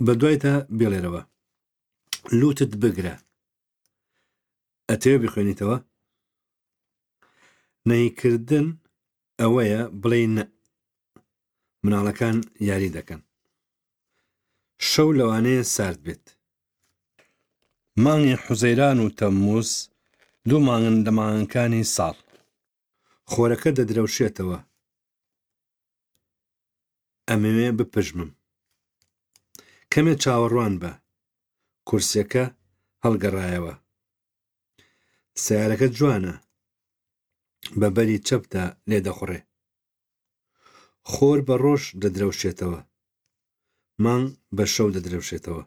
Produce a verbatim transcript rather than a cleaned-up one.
بە دوایتا بێڵێرەوە. لوتت بگرە. ئەتەوێ بیخوێنیتەوە؟ نەهیکردن ئەوەیە بڵێی نە. مناڵەکان یاری دەکەن. شەو لەوانەیە سارد بێت. مانگی حوزەیران و تەمموز دوو مانگن لە مانگەکانی ساڵ. خۆرەکە دەدرەوشێتەوە. ئەمەوێ بپژمم. کەمێ چاوەڕوان بە. کورسیەکە هەڵگەڕایەوە. سەیارەکە جوانە. بە بەری چەپدا لێدەخوڕێ. خۆر بە ڕۆژ دەدرەوشێتەوە. مانگ بە شەو دەدرەوشێتەوە.